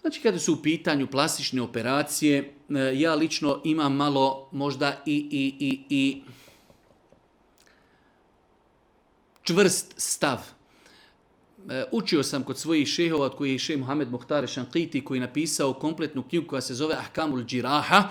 Znači, kada su u pitanju plastične operacije, ja lično imam malo možda i čvrst stav. Učio sam kod svojih šehova, od kojih je šeh Mohamed Muhtar Šanqiti, koji je napisao kompletnu knjigu koja se zove Ahkamul Džiraha,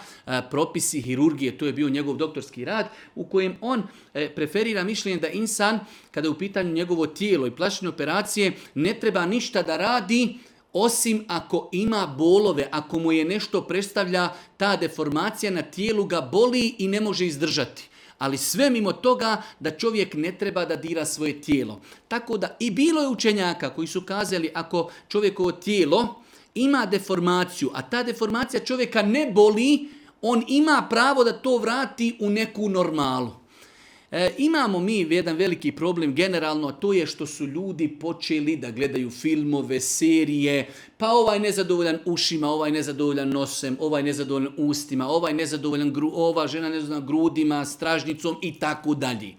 propisi hirurgije, to je bio njegov doktorski rad, u kojem on preferira mišljenje da insan, kada je u pitanju njegovo tijelo i plastične operacije, ne treba ništa da radi, osim ako ima bolove, ako mu je nešto predstavlja, ta deformacija na tijelu ga boli i ne može izdržati. Ali sve mimo toga da čovjek ne treba da dira svoje tijelo. Tako da i bilo je učenjaka koji su kazali ako čovjekovo tijelo ima deformaciju, a ta deformacija čovjeka ne boli, on ima pravo da to vrati u neku normalu. Imamo mi jedan veliki problem generalno, a to je što su ljudi počeli da gledaju filmove, serije, pa ovaj nezadovoljan ušima, ovaj nezadovoljan nosem, ovaj nezadovoljan ustima, ovaj nezadovoljan ova žena nezadovoljan grudima, stražnicom i tako dalje.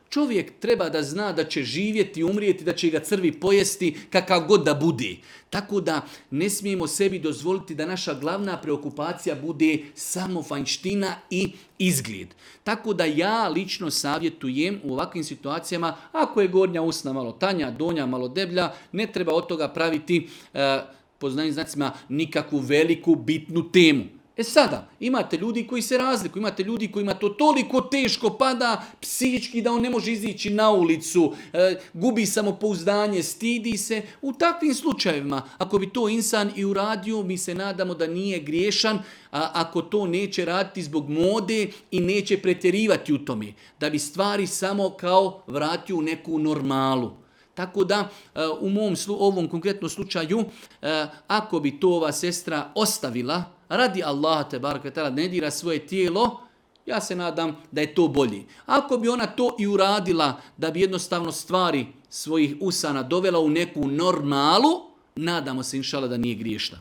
Čovjek treba da zna da će živjeti, umrijeti, da će ga crvi pojesti kakav god da bude. Tako da ne smijemo sebi dozvoliti da naša glavna preokupacija bude samo vanjština i izgled. Tako da ja lično savjetujem u ovakvim situacijama, ako je gornja usna malo tanja, donja malo deblja, ne treba od toga praviti, po znacima, nikakvu veliku bitnu temu. Sada, imate ljudi koji se razlikuju, imate ljudi kojima to toliko teško pada psihički da on ne može izići na ulicu, gubi samopouzdanje, stidi se. U takvim slučajevima, ako bi to insan i uradio, mi se nadamo da nije griješan, ako to neće raditi zbog mode i neće pretjerivati u tome, da bi stvari samo kao vratio u neku normalu. Tako da u ovom konkretnom slučaju, ako bi to ova sestra ostavila, radi Allaha te barek ve taala, ne dira svoje tijelo, ja se nadam da je to bolje. Ako bi ona to i uradila da bi jednostavno stvari svojih usana dovela u neku normalu, nadamo se inšala da nije griješna.